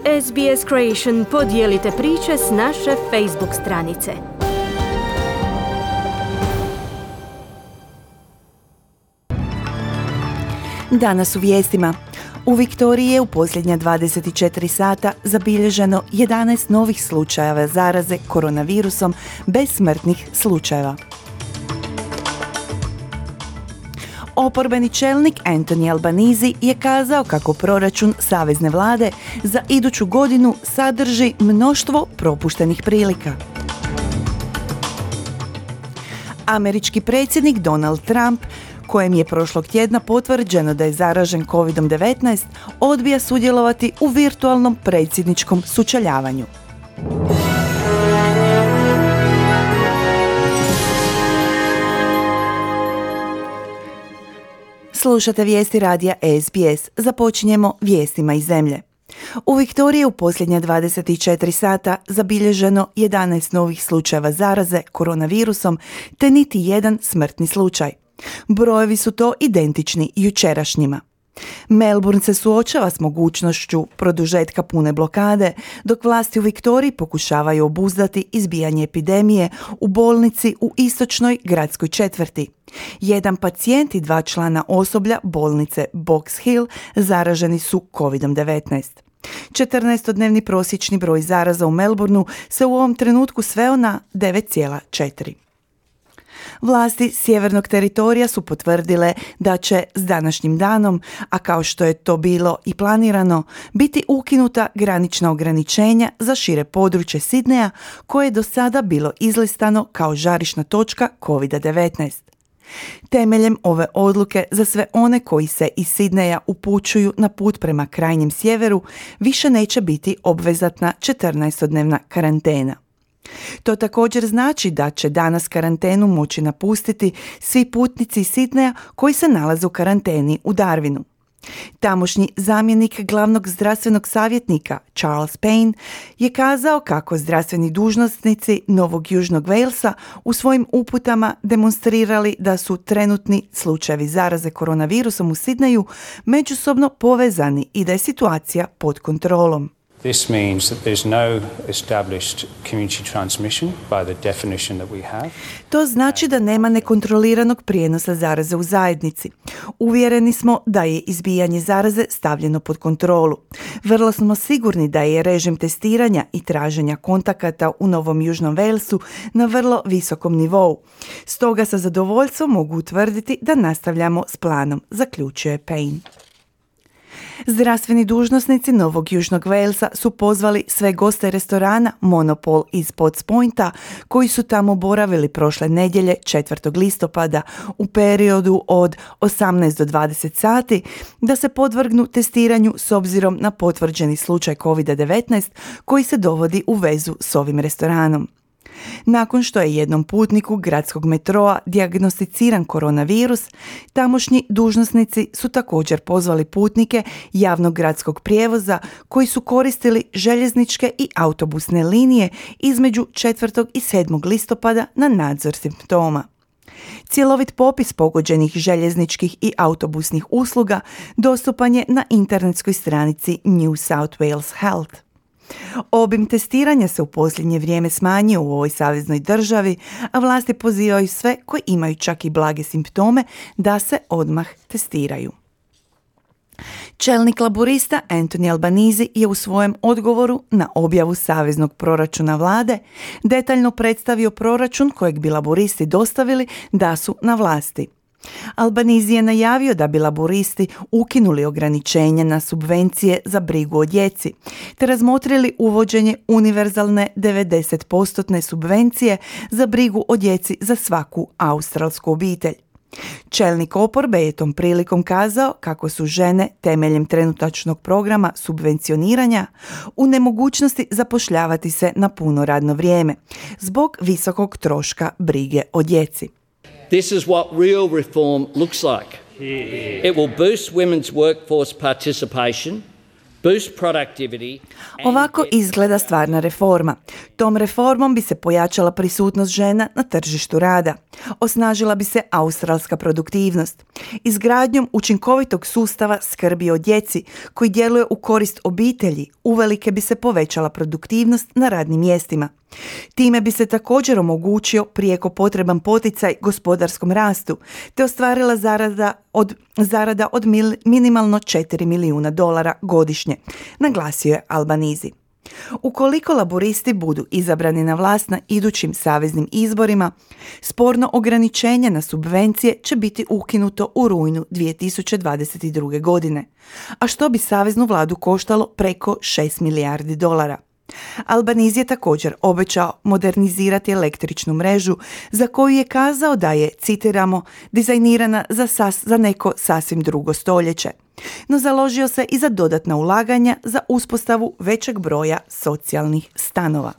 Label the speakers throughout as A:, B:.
A: SBS Creation, podijelite priče s naše Facebook stranice.
B: Danas u vijestima. U Viktoriji je u posljednja 24 sata zabilježeno 11 novih slučajeva zaraze koronavirusom bez smrtnih slučajeva. Oporbeni čelnik Anthony Albanese je kazao kako proračun savezne vlade za iduću godinu sadrži mnoštvo propuštenih prilika. Američki predsjednik Donald Trump, kojem je prošlog tjedna potvrđeno da je zaražen COVID-19, odbija sudjelovati u virtualnom predsjedničkom sučeljavanju. Slušate vijesti radija SBS. Započinjemo vijestima iz zemlje. U Viktoriji u posljednja 24 sata zabilježeno 11 novih slučajeva zaraze koronavirusom, te niti jedan smrtni slučaj. Brojevi su to identični jučerašnjima. Melbourne se suočava s mogućnošću produžetka pune blokade, dok vlasti u Viktoriji pokušavaju obuzdati izbijanje epidemije u bolnici u istočnoj gradskoj četvrti. Jedan pacijent i 2 člana osoblja bolnice Box Hill zaraženi su COVID-19. 14-dnevni prosječni broj zaraza u Melbourneu se u ovom trenutku sveo na 9,4. Vlasti sjevernog teritorija su potvrdile da će s današnjim danom, a kao što je to bilo i planirano, biti ukinuta granična ograničenja za šire područje Sidneja, koje je do sada bilo izlistano kao žarišna točka COVID-19. Temeljem ove odluke za sve one koji se iz Sidneja upućuju na put prema krajnjem sjeveru više neće biti obvezatna 14-dnevna karantena. To također znači da će danas karantenu moći napustiti svi putnici iz Sidneja koji se nalaze u karanteni u Darwinu. Tamošnji zamjenik glavnog zdravstvenog savjetnika Charles Payne je kazao kako zdravstveni dužnosnici Novog Južnog Walesa u svojim uputama demonstrirali da su trenutni slučajevi zaraze koronavirusom u Sidneju međusobno povezani i da je situacija pod kontrolom.
C: This means that there's no established community transmission by the definition that we have.
B: To znači da nema nekontroliranog prijenosa zaraze u zajednici. Uvjereni smo da je izbijanje zaraze stavljeno pod kontrolu. Vrlo smo sigurni da je režim testiranja i traženja kontakata u Novom Južnom Walesu na vrlo visokom nivou. Stoga sa zadovoljstvom mogu utvrditi da nastavljamo s planom, zaključuje Payne. Zdravstveni dužnosnici Novog Južnog Walesa su pozvali sve goste restorana Monopol iz Potts Pointa koji su tamo boravili prošle nedjelje 4. listopada u periodu od 18 do 20 sati da se podvrgnu testiranju s obzirom na potvrđeni slučaj COVID-19 koji se dovodi u vezu s ovim restoranom. Nakon što je jednom putniku gradskog metroa dijagnosticiran koronavirus, tamošnji dužnosnici su također pozvali putnike javnog gradskog prijevoza koji su koristili željezničke i autobusne linije između 4. i 7. listopada na nadzor simptoma. Cjelovit popis pogođenih željezničkih i autobusnih usluga dostupan je na internetskoj stranici New South Wales Health. Obim testiranja se u posljednje vrijeme smanjio u ovoj saveznoj državi, a vlasti pozivaju sve koji imaju čak i blage simptome da se odmah testiraju. Čelnik laborista Anthony Albanese je u svojem odgovoru na objavu saveznog proračuna vlade detaljno predstavio proračun kojeg bi laboristi dostavili da su na vlasti. Albanese je najavio da bi laboristi ukinuli ograničenja na subvencije za brigu o djeci, te razmotrili uvođenje univerzalne 90% subvencije za brigu o djeci za svaku australsku obitelj. Čelnik oporbe je tom prilikom kazao kako su žene temeljem trenutačnog programa subvencioniranja u nemogućnosti zapošljavati se na puno radno vrijeme zbog visokog troška brige o djeci.
D: This is what real reform looks like. It will boost women's workforce participation, boost productivity.
B: Ovako izgleda stvarna reforma. Tom reformom bi se pojačala prisutnost žena na tržištu rada. Osnažila bi se australska produktivnost. Izgradnjom učinkovitog sustava skrbi o djeci koji djeluje u korist obitelji, uvelike bi se povećala produktivnost na radnim mjestima. Time bi se također omogućio prijeko potreban poticaj gospodarskom rastu, te ostvarila zarada od minimalno $4 milijuna godišnje, naglasio je Albanizi. Ukoliko laburisti budu izabrani na vlast na idućim saveznim izborima, sporno ograničenje na subvencije će biti ukinuto u rujnu 2022. godine, a što bi saveznu vladu koštalo preko $6 milijardi. Albanizi je također obećao modernizirati električnu mrežu za koju je kazao da je, citiramo, dizajnirana za neko sasvim drugo stoljeće. No založio se i za dodatna ulaganja za uspostavu većeg broja socijalnih stanova.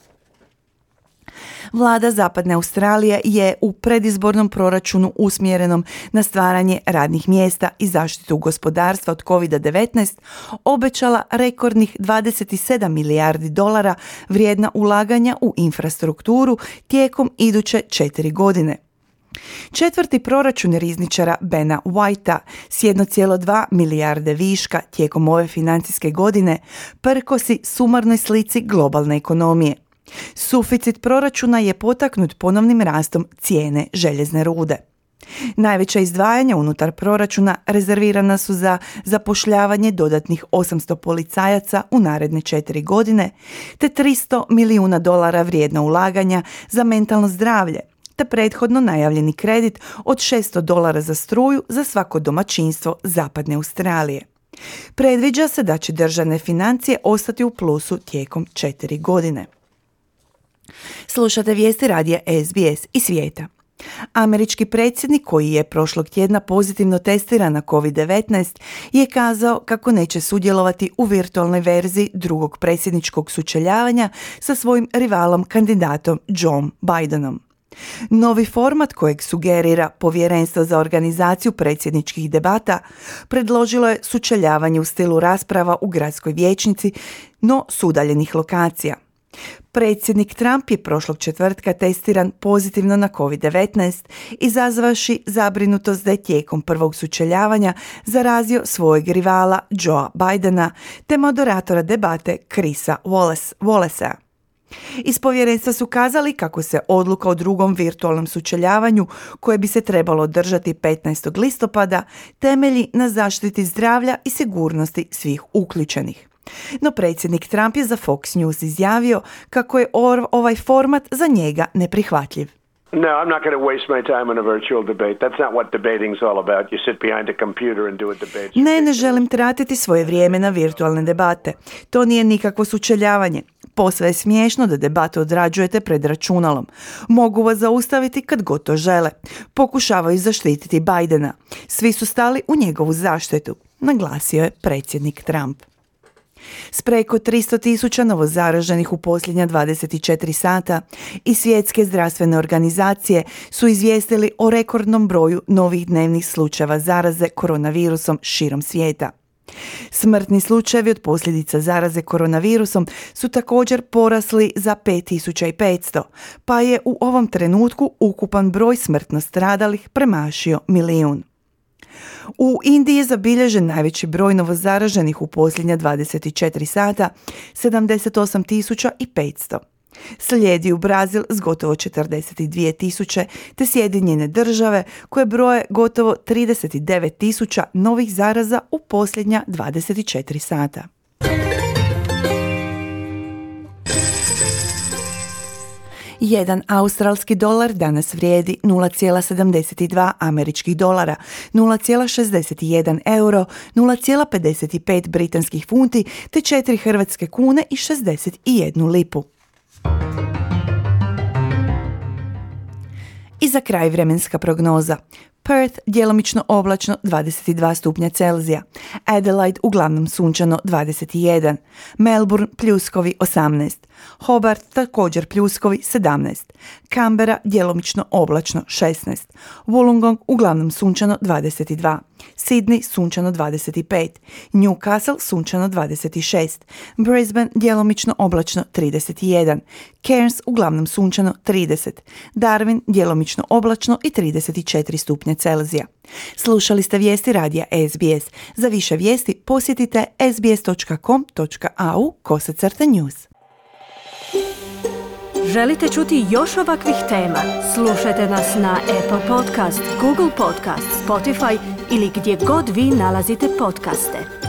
B: Vlada Zapadne Australije je u predizbornom proračunu usmjerenom na stvaranje radnih mjesta i zaštitu gospodarstva od COVID-19 obećala rekordnih $27 milijardi vrijedna ulaganja u infrastrukturu tijekom iduće 4 godine. Četvrti proračun rizničara Bena Whitea s 1,2 milijarde viška tijekom ove financijske godine prkosi sumarnoj slici globalne ekonomije. Suficit proračuna je potaknut ponovnim rastom cijene željezne rude. Najveća izdvajanja unutar proračuna rezervirana su za zapošljavanje dodatnih 800 policajaca u naredne 4 godine, te $300 milijuna vrijedna ulaganja za mentalno zdravlje, te prethodno najavljeni kredit od $600 za struju za svako domaćinstvo Zapadne Australije. Predviđa se da će državne financije ostati u plusu tijekom 4 godine. Slušate vijesti radija SBS i svijeta. Američki predsjednik, koji je prošlog tjedna pozitivno testiran na COVID-19, je kazao kako neće sudjelovati u virtualnoj verziji drugog predsjedničkog sučeljavanja sa svojim rivalom kandidatom Joe Bidenom. Novi format kojeg sugerira Povjerenstvo za organizaciju predsjedničkih debata predložilo je sučeljavanje u stilu rasprava u gradskoj vijećnici, no s udaljenih lokacija. Predsjednik Trump je prošlog četvrtka testiran pozitivno na COVID-19, izazvavši zabrinutost da je tijekom prvog sučeljavanja zarazio svojeg rivala Joea Bidena te moderatora debate Chrisa Wallacea. Iz povjerenstva su kazali kako se odluka o drugom virtualnom sučeljavanju, koje bi se trebalo održati 15. listopada, temelji na zaštiti zdravlja i sigurnosti svih uključenih. No predsjednik Trump je za Fox News izjavio kako je ovaj format za njega neprihvatljiv.
E: No, I'm not going to waste my time on a virtual debate. That's not what debating's all about. You sit behind a computer and do a debate.
B: Ne želim tratiti svoje vrijeme na virtualne debate. To nije nikakvo sučeljavanje. Posve je smiješno da debate odrađujete pred računalom. Mogu vas zaustaviti kad god to žele. Pokušavaju zaštititi Bidena. Svi su stali u njegovu zaštitu, naglasio je predsjednik Trump. S preko 300,000 novozaraženih u posljednja 24 sata i svjetske zdravstvene organizacije su izvijestili o rekordnom broju novih dnevnih slučajeva zaraze koronavirusom širom svijeta. Smrtni slučajevi od posljedica zaraze koronavirusom su također porasli za 5.500, pa je u ovom trenutku ukupan broj smrtno stradalih premašio 1 milijun. U Indiji je zabilježen najveći broj novozaraženih u posljednja 24 sata, 78.500. Slijedi u Brazil s gotovo 42.000, te Sjedinjene Države koje broje gotovo 39.000 novih zaraza u posljednja 24 sata. Jedan australski dolar danas vrijedi 0,72 američkih dolara, 0,61 euro, 0,55 britanskih funti te 4 hrvatske kune i 61 lipu. I za kraj vremenska prognoza. Perth djelomično oblačno 22 stupnja Celzija, Adelaide uglavnom sunčano 21, Melbourne pljuskovi 18, Hobart također pljuskovi 17, Canberra djelomično oblačno 16, Wollongong uglavnom sunčano 22, Sydney sunčano 25, Newcastle sunčano 26, Brisbane djelomično oblačno 31, Cairns uglavnom sunčano 30, Darwin djelomično oblačno i 34 stupnja Celzija. Slušali ste vijesti radija SBS. Za više vijesti posjetite sbs.com.au/news.
A: Želite čuti još ovakvih tema? Slušajte nas na Apple Podcast, Google Podcast, Spotify ili gdje god vi nalazite podcaste.